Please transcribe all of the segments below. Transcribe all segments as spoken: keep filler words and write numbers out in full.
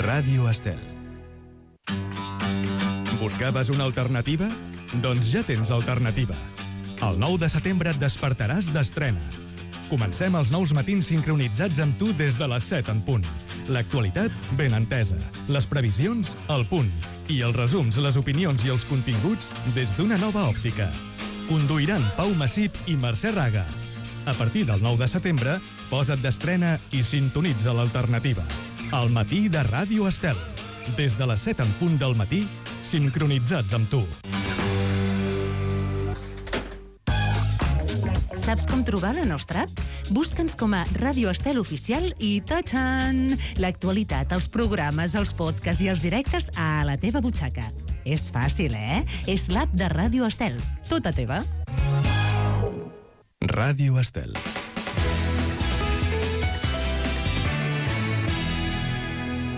Ràdio Estel. Buscaves una alternativa? Doncs ja tens alternativa. El nou de setembre et despertaràs d'estrena. Comencem els nous matins sincronitzats amb tu des de les set en punt. L'actualitat ben entesa, les previsions al punt i els resums, les opinions i els continguts des d'una nova òptica. Conduiran Pau Massip i Mercè Raga. A partir del nou de setembre, posa't d'estrena i sintonitza l'alternativa. El matí de Ràdio Estel. Des de les set en punt del matí, sincronitzats amb tu. Saps com trobar la nostra app? Busca'ns com a Ràdio Estel Oficial i ta-txan! L'actualitat, els programes, els podcasts i els directes a la teva butxaca. És fàcil, eh? És l'app de Ràdio Estel. Tota teva. Ràdio Estel.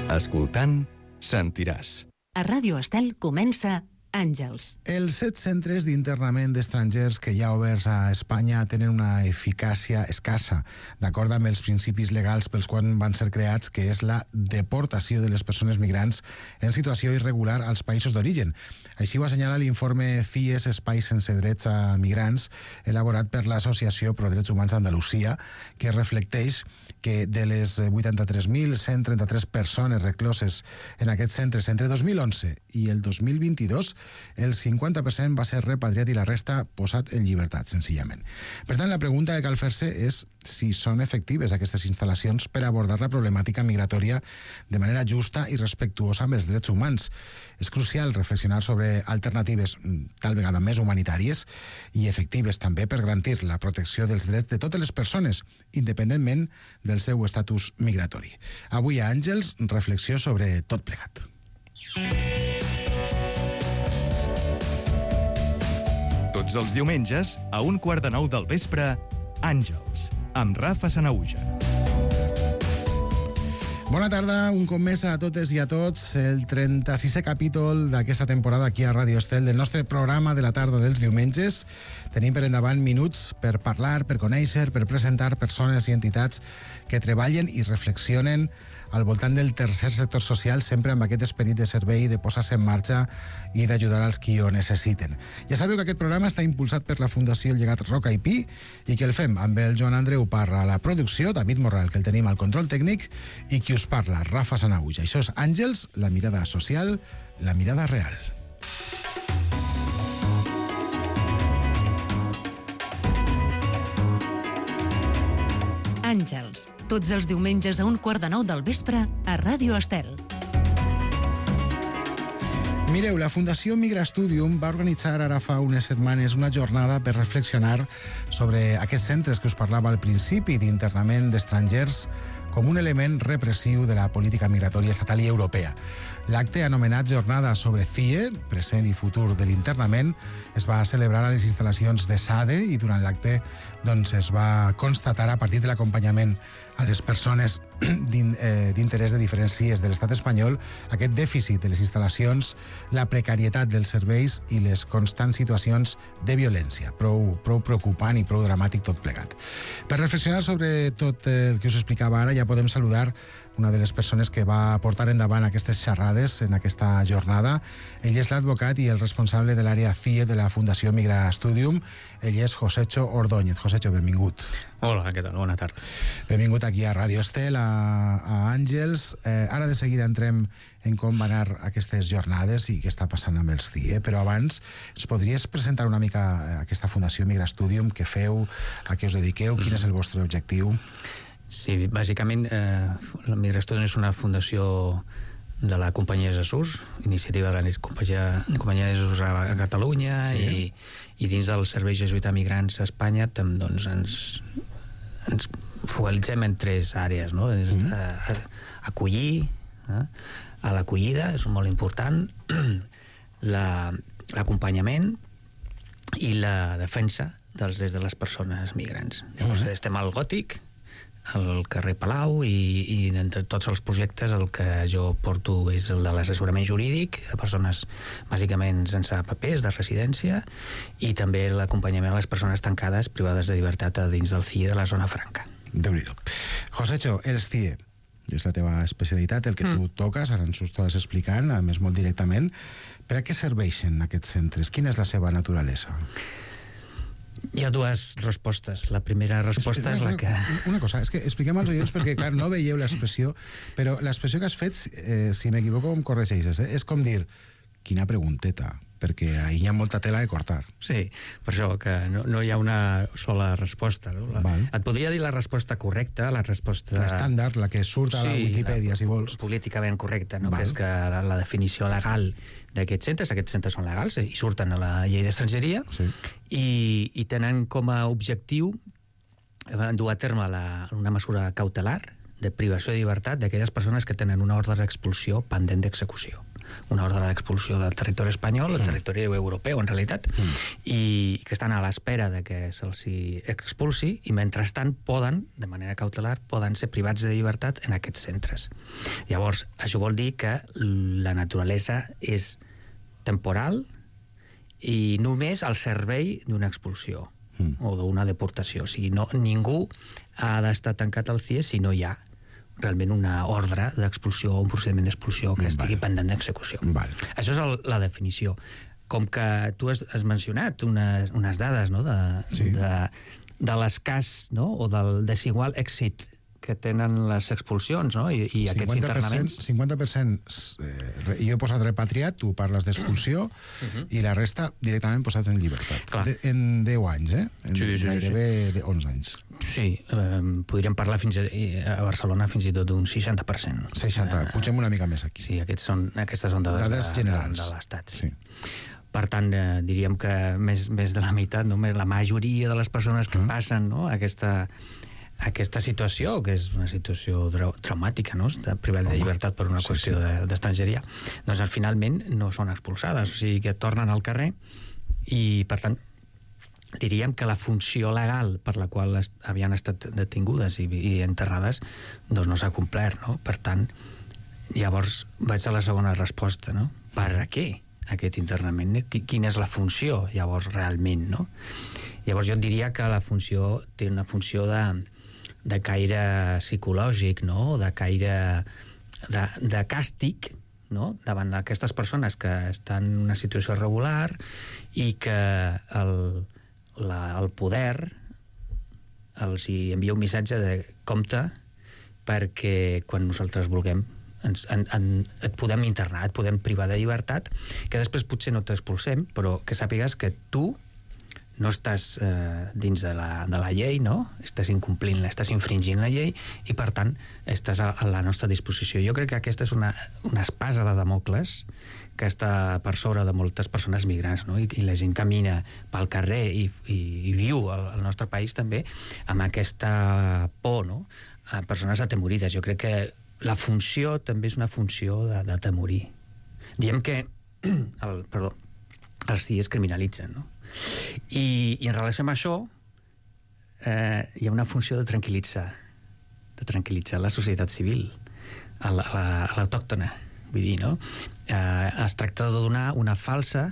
Escoltant, sentiràs. A Ràdio Estel comença Àngels. Els set centres d'internament d'estrangers que hi ha oberts a Espanya tenen una eficàcia escassa, d'acord amb els principis legals pels quals van ser creats, que és la deportació de les persones migrants en situació irregular als països d'origen. Així ho assenyala l'informe C I E S, Espais sense drets a migrants, elaborat per l'Associació Pro Drets Humans d'Andalusia, que reflecteix que de les vuitanta-tres mil cent trenta-tres persones recloses en aquests centres entre dos mil onze i el dos mil vint-i-dos, el cinquanta per cent va ser repatriat i la resta posat en llibertat, senzillament. Per tant, la pregunta que cal fer-se és si són efectives aquestes instal·lacions per abordar la problemàtica migratòria de manera justa i respectuosa amb els drets humans. És crucial reflexionar sobre alternatives tal vegada més humanitàries i efectives també per garantir la protecció dels drets de totes les persones, independentment del seu estatus migratori. Avui a Àngels, reflexió sobre tot plegat. Tots els diumenges, a un quart de nou del vespre, Àngels, amb Rafa Sanahuja. Bona tarda, un cop més a totes i a tots, el trenta-sisè capítol d'aquesta temporada aquí a Ràdio Estel del nostre programa de la tarda dels diumenges. Tenim per endavant minuts per parlar, per conèixer, per presentar persones i entitats que treballen i reflexionen al voltant del tercer sector social, sempre amb aquest esperit de servei, de posar-se en marxa i d'ajudar als qui ho necessiten. Ja sabeu que aquest programa està impulsat per la Fundació Llegat Roca i Pi i que el fem amb el Joan Andreu Parra a la producció, David Morral, que el tenim al control tècnic, i qui us parla, Rafa Sanahuja. Això és Àngels, la mirada social, la mirada real. Àngels, tots els diumenges a un quart de nou del vespre a Ràdio Estel. Mireu, la Fundació Migrastudium va organitzar ara fa unes setmanes una jornada per reflexionar sobre aquests centres que us parlava al principi d'internament d'estrangers com un element repressiu de la política migratòria estatal i europea. L'acte, anomenat Jornada sobre C I E, present i futur de l'internament, es va celebrar a les instal·lacions de SADE i durant l'acte doncs, es va constatar a partir de l'acompanyament a les persones d'interès de diferents C I Es de l'estat espanyol aquest dèficit de les instal·lacions, la precarietat dels serveis i les constants situacions de violència. Prou, prou preocupant i prou dramàtic tot plegat. Per reflexionar sobre tot el que us explicava ara, ja podem saludar una de les persones que va portar endavant aquestes xerrades en aquesta jornada. Ell és l'advocat i el responsable de l'àrea C I E de la Fundació Migrastudium. Ell és Josecho Ordóñez. Josecho, benvingut. Hola, què tal? Bona tarda. Benvingut aquí a Ràdio Estel, a, a Àngels. Eh, ara de seguida entrem en com van anar aquestes jornades i què està passant amb els C I E, però abans ens podries presentar una mica aquesta Fundació Migrastudium, què feu, a què us dediqueu, quin és el vostre objectiu? Sí, bàsicament eh, la Migrastudium és una fundació de la Companyia de Jesús, iniciativa de la Companyia, Companyia de Jesús a, a Catalunya, sí. i, i dins del Servei Jesuïta Migrants a Espanya tam, doncs, ens, ens focalitzem en tres àrees, no? Mm. A, a, acollir, eh? a l'acollida, és molt important, la, l'acompanyament i la defensa dels drets de les persones migrants. Llavors, mm. estem al Gòtic, al carrer Palau, i, i entre tots els projectes el que jo porto és el de l'assessorament jurídic a persones bàsicament sense papers de residència i també l'acompanyament a les persones tancades privades de llibertat a dins del C I E de la zona franca. Déu-n'hi-do. Josecho, els C I E, és la teva especialitat, el que mm. tu toques, ara ens ho estàs explicant, a més molt directament. Per a què serveixen aquests centres? Quina és la seva naturalesa? Hi ha dues respostes. La primera resposta és la que... Una cosa, és que expliquem als oients perquè, clar, no veieu l'expressió, però l'expressió que has fet, eh, si m'equivoco em corregeixes, eh? És com dir, quina pregunteta, perquè ahí hi ha molta tela de cortar. Sí, per això que no, no hi ha una sola resposta. No? La, et podria dir la resposta correcta, la resposta... L'estàndard, la que surt a la sí, Wikipedia, la, si vols. Políticament correcta, no? Que és que la, la definició legal d'aquests centres, aquests centres són legals i surten a la llei d'estrangeria, sí. i, i tenen com a objectiu dur a terme la, una mesura cautelar de privació de llibertat d'aquelles persones que tenen una ordre d'expulsió pendent d'execució. Una ordre d'expulsió del territori espanyol, del territori mm. europeu, en realitat, mm. i que estan a l'espera de que se'ls expulsi, i mentrestant poden, de manera cautelar, poden ser privats de llibertat en aquests centres. Llavors, això vol dir que la naturalesa és temporal i només al servei d'una expulsió mm. o d'una deportació. O sigui, no, ningú ha d'estar tancat al C I E si no hi ha realment una ordre d'expulsió o un procediment d'expulsió que estigui vale. pendent d'execució. Vale. Això és el, la definició. Com que tu has, has mencionat unes, unes dades, no?, de, sí. de, de l'escàs, no?, o del desigual èxit que tenen les expulsions, no?, i, i aquests internaments... cinquanta per cent eh, jo he posat repatriat, tu parles d'expulsió, uh-huh. i la resta directament posats en llibertat. De, en deu anys, eh? En sí, sí, gairebé sí. de onze anys. Sí, eh, podríem parlar fins a, a Barcelona fins i tot d'un seixanta per cent. seixanta, eh, pugem una mica més aquí. Sí, aquests són, aquestes són dades, dades de, generals. de, de l'Estat. Sí. Sí. Per tant, eh, diríem que més, més de la meitat, no? la majoria de les persones que uh-huh. passen, no?, aquesta... aquesta situació, que és una situació trau traumàtica, no?, de privat de llibertat per una sí, qüestió sí. d'estrangeria, de, doncs finalment no són expulsades, o sigui que tornen al carrer i, per tant, diríem que la funció legal per la qual est havien estat detingudes i, i enterrades doncs no s'ha complert, no? Per tant, llavors vaig a la segona resposta, no? Per a què aquest internament? Quina és la funció, llavors, realment, no? Llavors jo diria que la funció té una funció de de caire psicològic, no?, de caire de, de càstig, no?, davant d'aquestes persones que estan en una situació irregular i que el, la, el poder els hi envia un missatge de compte perquè quan nosaltres vulguem ens, en, en, et podem internar, et podem privar de llibertat, que després potser no t'expulsem, però que sàpigues que tu no estàs eh, dins de la, de la llei, no? Estàs incomplint, estàs infringint la llei i, per tant, estàs a, a la nostra disposició. Jo crec que aquesta és una, una espasa de Damocles que està per sobre de moltes persones migrants, no? I, i la gent camina pel carrer i, i, i viu al, al nostre país també amb aquesta por, no?, a persones atemorides. Jo crec que la funció també és una funció d'atemorir. Diem que el, perdó, els C I E es criminalitzen, no? I, i en relació amb això eh, hi ha una funció de tranquil·litzar de tranquil·litzar la societat civil a l'autòctona, vull dir, no? Eh, es tracta de donar una falsa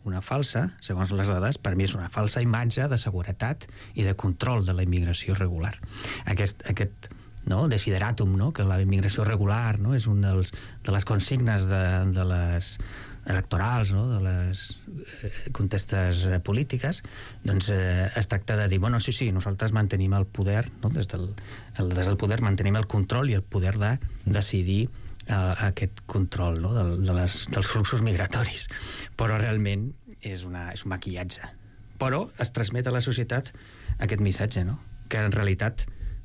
una falsa, segons les dades, per mi és una falsa imatge de seguretat i de control de la immigració regular. Aquest, aquest no, desideratum, no? Que la immigració regular, no? És un dels, de les consignes de, de les electorals, no?, de les eh, contestes eh, polítiques, doncs eh, es tracta de dir, bueno, sí, sí, nosaltres mantenim el poder, no?, des del, el, des del poder mantenim el control i el poder de decidir eh, aquest control, no?, de, de les, dels fluxos migratoris. Però realment és, una, és un maquillatge. Però es transmet a la societat aquest missatge, no?, que en realitat,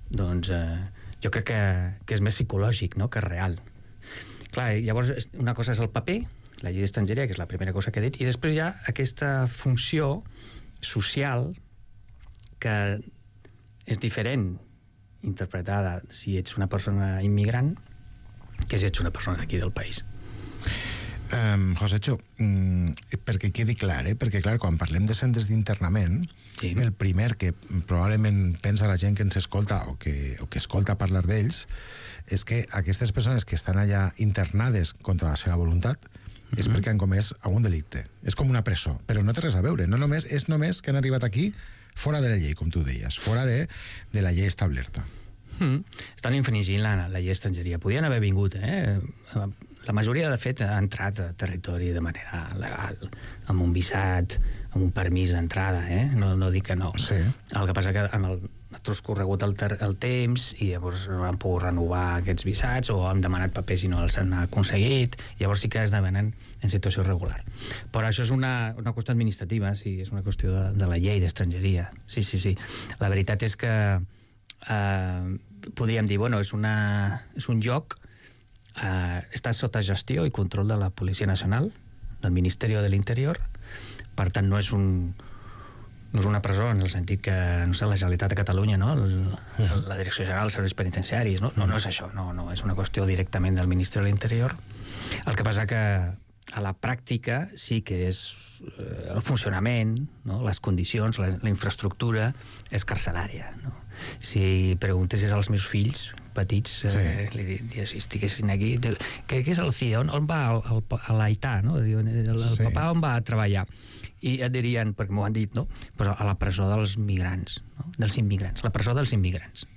doncs, eh, jo crec que, que és més psicològic, no?, que real. Clar, llavors, una cosa és el paper, la llei d'estrangeria, que és la primera cosa que he dit, i després hi ha aquesta funció social que és diferent interpretada si ets una persona immigrant que si ets una persona d'aquí del país. Um, Josecho, um, perquè quedi clar, eh? Perquè clar, quan parlem de centres d'internament, sí. El primer que probablement pensa la gent que ens escolta o que, o que escolta parlar d'ells és que aquestes persones que estan allà internades contra la seva voluntat és mm-hmm. perquè han comès algun delicte. És com una presó, però no té res a veure. No només, és només que han arribat aquí fora de la llei, com tu deies, fora de, de la llei establerta. Mm. Estan infringint la, la llei d'estrangeria. Podien haver vingut, eh? La majoria, de fet, ha entrat a territori de manera legal, amb un visat, amb un permís d'entrada, eh? No, no dic que no. Sí. El que passa que amb el ha transcorregut el, el temps i llavors no han pogut renovar aquests visats o han demanat papers i no els han aconseguit, llavors sí que esdevenen en situació regular. Però això és una, una qüestió administrativa, sí, és una qüestió de, de la llei d'estrangeria. Sí, sí, sí. La veritat és que eh, podríem dir, bueno, és, una, és un joc, eh, està sota gestió i control de la Policia Nacional, del Ministeri de l'Interior, per tant no és un no és una presó en el sentit que, no sé, la Generalitat de Catalunya, no? El, la Direcció General dels Serveis Penitenciaris, no? No, no és això, no, no, és una qüestió directament del Ministeri de l'Interior. El que passa que a la pràctica sí que és eh, el funcionament, no? Les condicions, la, la infraestructura és carcelària, no? Si preguntessis als meus fills petits, eh, sí. li diries, si estiguessin aquí, què, què és el C I E? On, on va el, el, a l'Aità, no? Diuen, el, el sí. papà on va a treballar? I et dirien, perquè m'ho han dit, no? Però a la presó dels migrants, no? Dels immigrants, la presó dels immigrants.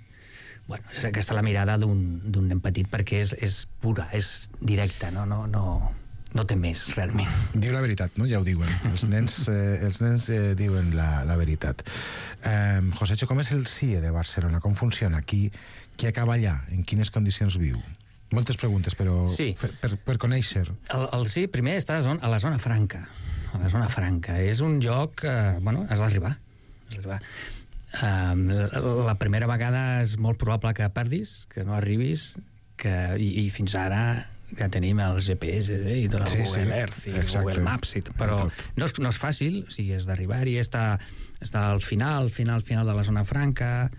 Bueno, és aquesta la mirada d'un nen petit, perquè és, és pura, és directa, no, no, no, no té més, realment. Diu la veritat, no? Ja ho diuen. Els nens, eh, els nens eh, diuen la, la veritat. Eh, Josécho, com és el C I E de Barcelona? Com funciona? Qui, qui acaba allà? En quines condicions viu? Moltes preguntes, però sí. per, per, per conèixer. El, el C I E primer està a la zona, a la zona franca. A la zona franca. És un joc que, eh, bueno, has d'arribar. Has d'arribar. Um, la, la primera vegada és molt probable que perdis, que no arribis, que, i, i fins ara que tenim els G P S eh, i tot el sí, Google sí. Earth i exacte. Google Maps, i tot, però no és, no és fàcil, o sigui, és d'arribar-hi, està, està al final, final, final de la zona franca,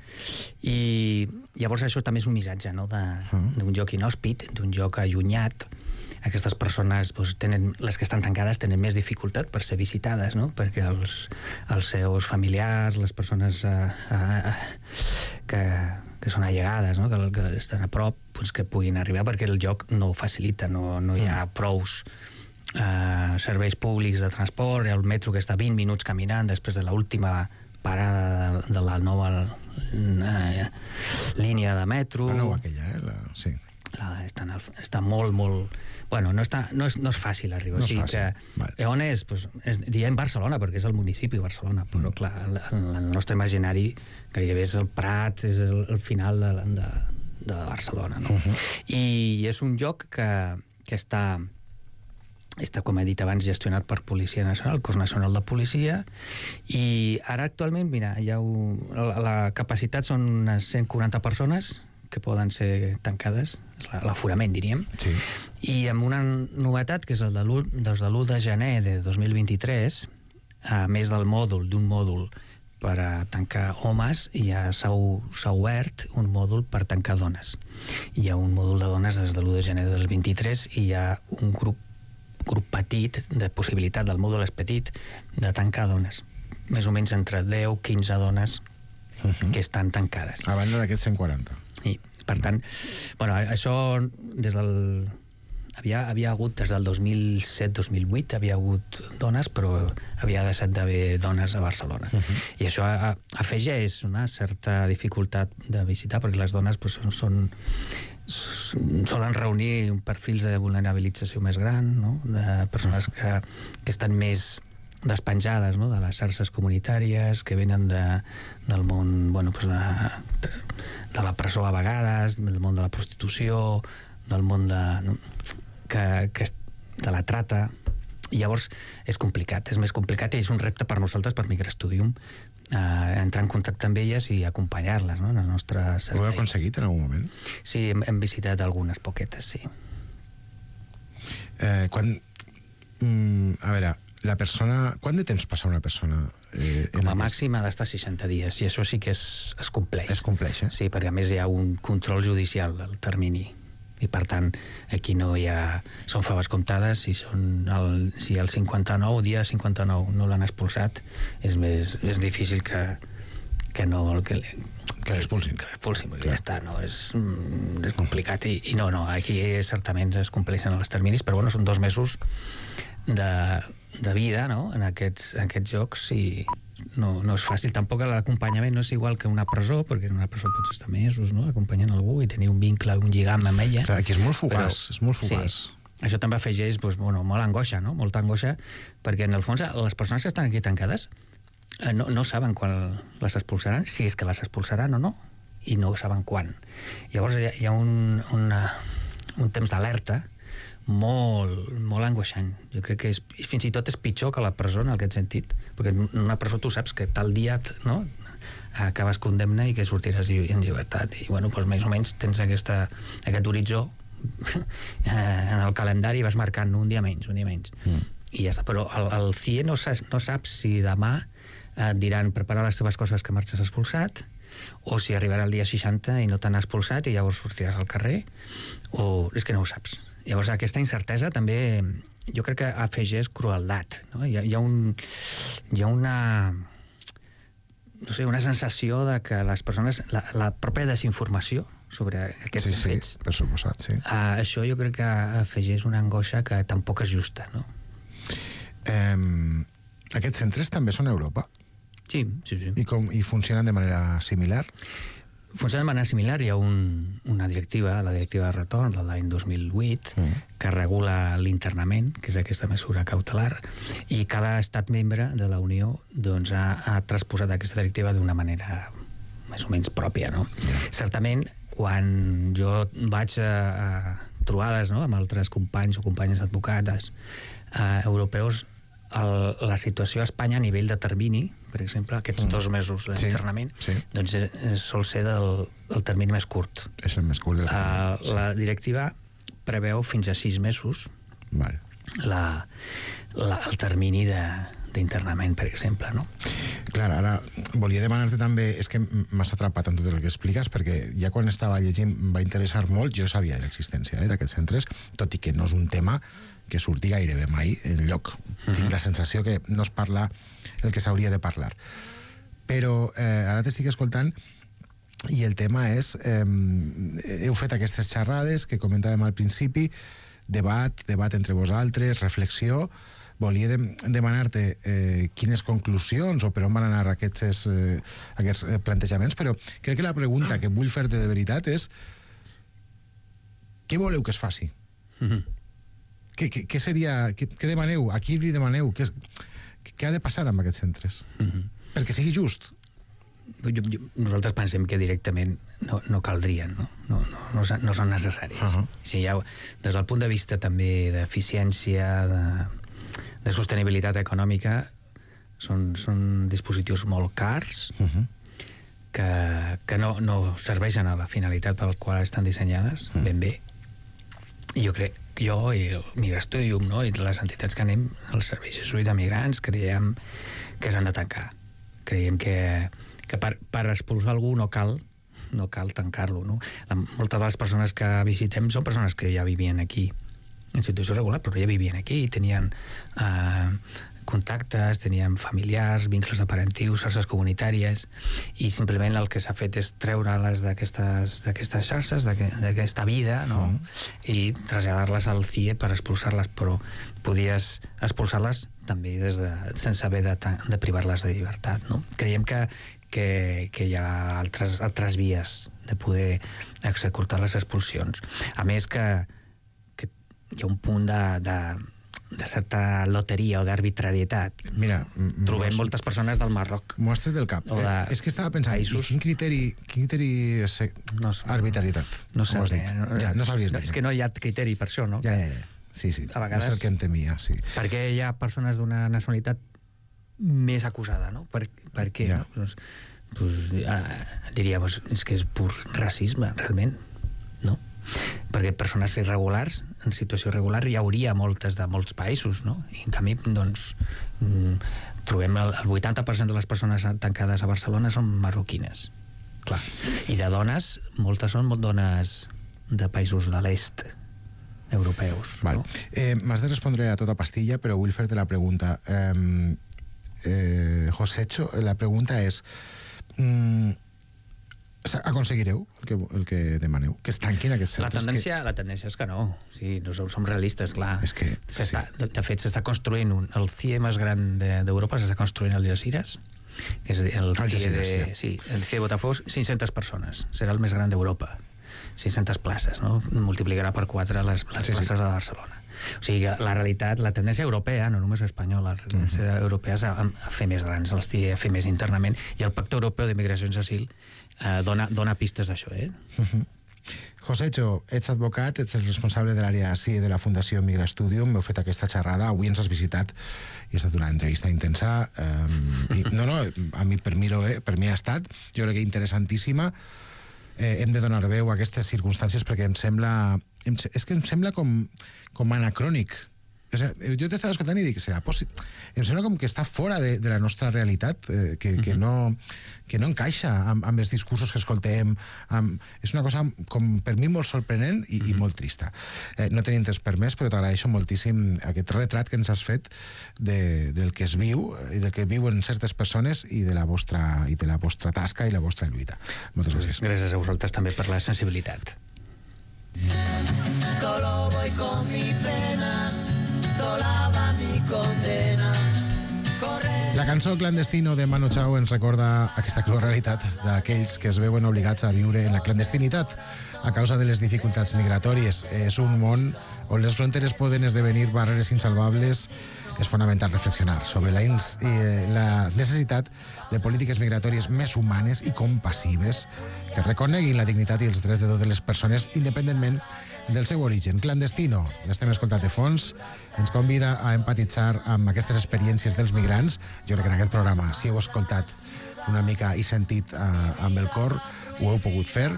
i llavors això també és un missatge, no?, d'un uh. joc inhòspit, d'un joc allunyat. Aquestes persones, doncs, tenen, les que estan tancades tenen més dificultat per ser visitades, no?, perquè els, els seus familiars, les persones eh, eh, que, que són allegades, no?, que, que estan a prop, doncs, que puguin arribar, perquè el joc no ho facilita, no, no hi ha prous eh, serveis públics de transport, el metro que està vint minuts caminant després de l'última parada de, de la nova eh, línia de metro. La nova aquella, eh? La... Sí. La, està, el, està molt, molt... Bueno, no, està, no, és, no és fàcil arribar. No o sigui és fàcil. Que, vale. On és? Pues, és? Diem Barcelona, perquè és el municipi de Barcelona, però mm. clar, el, el nostre imaginari gairebé és el Prat, és el, el final de, de, de Barcelona, no? Uh-huh. I és un lloc que, que està, està, com he dit abans, gestionat per Policia Nacional, el Cos Nacional de Policia, i ara actualment, mira, ja ho, la, la capacitat són unes cent quaranta persones que poden ser tancades, l'aforament, diríem, sí. I amb una novetat, que és el de l'u de gener de dos mil vint-i-tres, a més del mòdul, d'un mòdul per a tancar homes, ja s'ha obert un mòdul per tancar dones. Hi ha un mòdul de dones des de l'u de gener del vint-i-tres i hi ha un grup, grup petit, de possibilitat, del mòdul és petit, de tancar dones. Més o menys entre deu a quinze dones uh-huh. que estan tancades. A banda d'aquests cent quaranta. I, per tant, bueno, això des del... Havia, havia hagut des del dos mil set dos mil vuit havia hagut dones, però havia deixat d'haver dones a Barcelona. Uh-huh. I això a, afegeix una certa dificultat de visitar, perquè les dones pues, són, solen reunir perfils de vulnerabilització més gran, no?, de persones que, que estan més despenjades, no?, de les xarxes comunitàries, que venen de, del món, bueno, pues de, de la presó a vegades, del món de la prostitució, del món de, no, que, que, de la trata. I llavors és complicat, és més complicat, i és un repte per nosaltres, per Migrastudium, eh, entrar en contacte amb elles i acompanyar-les, no?, en el nostre servei. Ho heu aconseguit en algun moment? Sí, hem, hem visitat algunes poquetes, sí. Eh, quan... Mm, a veure, la persona... Quant de temps passa una persona? Eh, Com a màxim ha d'estar seixanta dies, i això sí que es, es compleix. Es compleix, eh? Sí, perquè a més hi ha un control judicial del termini, i per tant aquí no hi ha... Són faves comptades, si, són el, si el cinquanta-nou, dia cinquanta-nou, no l'han expulsat, és més és difícil que, que no... Que, que l'expulsin. Que l'expulsin, perquè ja està, no? És, és complicat, i, i no, no, aquí certament es compleixen els terminis, però bueno, són dos mesos de, de vida, no?, en aquests, en aquests jocs, i no, no és fàcil. Tampoc l'acompanyament no és igual que una presó, perquè en una presó pots estar mesos, no?, acompanyant algú i tenir un vincle, un lligam amb ella. Clar, aquí és molt fugaç, però, és molt fugaç. Sí, això també afegeix doncs, bueno, molt angoixa, no?, molta angoixa, perquè en el fons les persones que estan aquí tancades eh, no, no saben quan les expulsaran, si és que les expulsaran o no, i no saben quan. Llavors hi ha, hi ha un, una, un temps d'alerta molt, molt angoixant. Jo crec que és, fins i tot és pitjor que la presó en aquest sentit, perquè en una presó tu saps que tal dia, no?, acabes condemna i que sortiràs en llibertat. I, bueno, doncs més o menys tens aquesta, aquest horitzó en el calendari i vas marcant un dia menys, un dia menys. Mm. I ja està. Però el, el C I E no, no sap si demà et diran prepara les teves coses que marxes expulsat, o si arribarà el dia seixanta i no t'han expulsat i llavors sortiràs al carrer, o és que no ho saps. Llavors aquesta incertesa també jo crec que afegeix crueldat, no? Hi ha, hi ha, un, hi ha una no sé, una sensació de que les persones, la, la pròpia desinformació sobre aquests sí, fets, sí, per suposat, sí. Uh, això jo crec que afegeix una angoixa que tampoc és justa, no? Um, aquests centres també són a Europa? Sí, sí, sí. I, com, i funcionen de manera similar? Funciona de manera similar. Hi ha un, una directiva, la directiva de retorn de l'any dos mil vuit, mm. que regula l'internament, que és aquesta mesura cautelar, i cada estat membre de la Unió doncs, ha, ha transposat aquesta directiva d'una manera més o menys pròpia, no? Yeah. Certament, quan jo vaig a, a trobades, no?, amb altres companys o companyes advocades eh, europeus, el, la situació a Espanya a nivell de termini, per exemple, aquests mm. dos mesos d'internament, sí, sí. doncs és, és, sol ser del, del termini més curt. És el més curt del termini. Uh, sí. La directiva preveu fins a sis mesos Val. La, la, el termini de, d'internament, per exemple, no? Clar, ara volia demanar-te també, és que m'has atrapat en tot el que expliques, perquè ja quan estava llegint em va interessar molt, jo sabia de l'existència eh, d'aquests centres, tot i que no és un tema que surti gairebé mai en lloc. Uh-huh. Tinc la sensació que no es parla el que s'hauria de parlar. Però eh, ara t'estic escoltant i el tema és eh, heu fet aquestes xerrades que comentàvem al principi, debat, debat entre vosaltres, reflexió. Volia de, demanar-te eh, quines conclusions o per on van anar aquests, eh, aquests plantejaments, però crec que la pregunta que vull fer-te de veritat és què voleu que es faci? Uh-huh. Què, què, què seria... Què, què demaneu? A qui li demaneu? Què, què ha de passar amb aquests centres? Uh-huh. Perquè sigui just. Jo, jo, nosaltres pensem que directament no, no caldrien, no? No, no, no, no són necessaris. Uh-huh. Si ha, des del punt de vista també d'eficiència, de, de sostenibilitat econòmica, són, són dispositius molt cars, uh-huh. que, que no, no serveixen a la finalitat per la qual estan dissenyades, uh-huh. ben bé. I jo crec, jo i el Migrastudium, no?, i les entitats que anem, els serveis de jesuïta migrants, creiem que s'han de tancar. Creiem que, que per, per expulsar algú no cal no cal tancar-lo, no? La, moltes de les persones que visitem són persones que ja vivien aquí en situació regular, però ja vivien aquí i tenien eh, contactes, tenien familiars, vincles de parentius, xarxes comunitàries, i simplement el que s'ha fet és treure-les d'aquestes d'aquestes xarxes, d'aquesta vida, no? Mm. I traslladar-les al C I E per expulsar-les, però podies expulsar-les també des de, sense haver de, de privar-les de llibertat, no? Creiem que, que, que hi ha altres, altres vies de poder executar les expulsions. A més que, que hi ha un punt de, de de certa loteria o d'arbitrarietat. Mira, trobem moltes persones del Marroc. M'ho has tret del cap. De eh, és que estava pensant, països... quin criteri, quin criteri és no, arbitrarietat? No sé. No, ja, no sabries no, és que no hi ha criteri per això, no? Ja, ja, ja. Sí, sí. A vegades... És el que em temia, sí. Perquè hi ha persones d'una nacionalitat més acusada, no? Per, per què? Ja. No? Pues, pues, eh, diria, pues, és que és pur racisme, realment, no? Perquè persones irregulars, en situació irregular, hi hauria moltes de molts països, no? I en canvi, doncs, trobem el, el vuitanta per cent de les persones tancades a Barcelona són marroquines. Clar. I de dones, moltes són dones de països de l'est europeus. Val. No? Eh, M'has de respondre a tota pastilla, però vull fer-te la pregunta. Eh, eh, Josecho, la pregunta és... Mm, aconseguireu el que, el que demaneu? Que es tanquin aquests centres? La tendència, que... la tendència és que no. Sí, no som, som realistes, clar. És que, sí. de, de fet, s'està construint un, el C I E més gran d'Europa, de, s'està construint al Algesires, que és el Alta C I E de, Sinergia. sí, el C I E de Botafocs, cinc-centes persones. Serà el més gran d'Europa. cinc-centes places, no? Multiplicarà per quatre les, les Sí, sí. places de Barcelona. O sigui, que la realitat, la tendència europea, no només espanyola, la tendència uh -huh. europea és a, a fer més grans els T I E, a fer més internament, i el Pacte Europeu de Migracions i Asil eh, dona, dona pistes d'això, eh? Uh -huh. Josecho, ets advocat, ets el responsable de l'àrea C I E de la Fundació Migra Studium, m'heu fet aquesta xerrada, avui ens has visitat i ha estat una entrevista intensa. Eh, i, no, no, a mi, per mi, eh, per mi ha estat, jo crec que interessantíssima. Eh, hem de donar veu a aquestes circumstàncies perquè em sembla... Em, és que em sembla com, com anacrònic. O sigui, jo t'estava escoltant i dic, serà possible? Em sembla com que està fora de, de la nostra realitat, eh, que, que, no, que no encaixa amb, amb els discursos que escoltem. Amb, és una cosa, com per mi, molt sorprenent i, i molt trista. Eh, no tenim temps per més, però t'agraeixo moltíssim aquest retrat que ens has fet de, del que es viu i del que viuen certes persones i de la vostra, i de la vostra tasca i la vostra lluita. Moltes gràcies. Gràcies a vosaltres també per la sensibilitat. Solo voy con mi pena, sola va mi condena. Corre... La cançó Clandestino de Manu Chao ens recorda aquesta crua realitat d'aquells que es veuen obligats a viure en la clandestinitat a causa de les dificultats migratòries. És un món on les fronteres poden esdevenir barreres insalvables. És fonamental reflexionar sobre la, ins, eh, la necessitat de polítiques migratòries més humanes i compassives que reconeguin la dignitat i els drets de totes les persones independentment del seu origen. Clandestino, l'estem escoltant de fons, ens convida a empatitzar amb aquestes experiències dels migrants. Jo crec que en aquest programa, si heu escoltat una mica i sentit eh, amb el cor, ho heu pogut fer.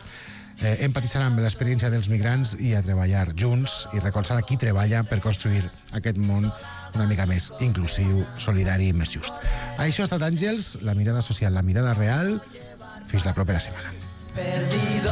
Eh, empatitzar amb l'experiència dels migrants i a treballar junts i recolzar a qui treballa per construir aquest món una mica més inclusiu, solidari i més just. Això ha estat Àngels, la mirada social, la mirada real. Fins la propera setmana. Perdido.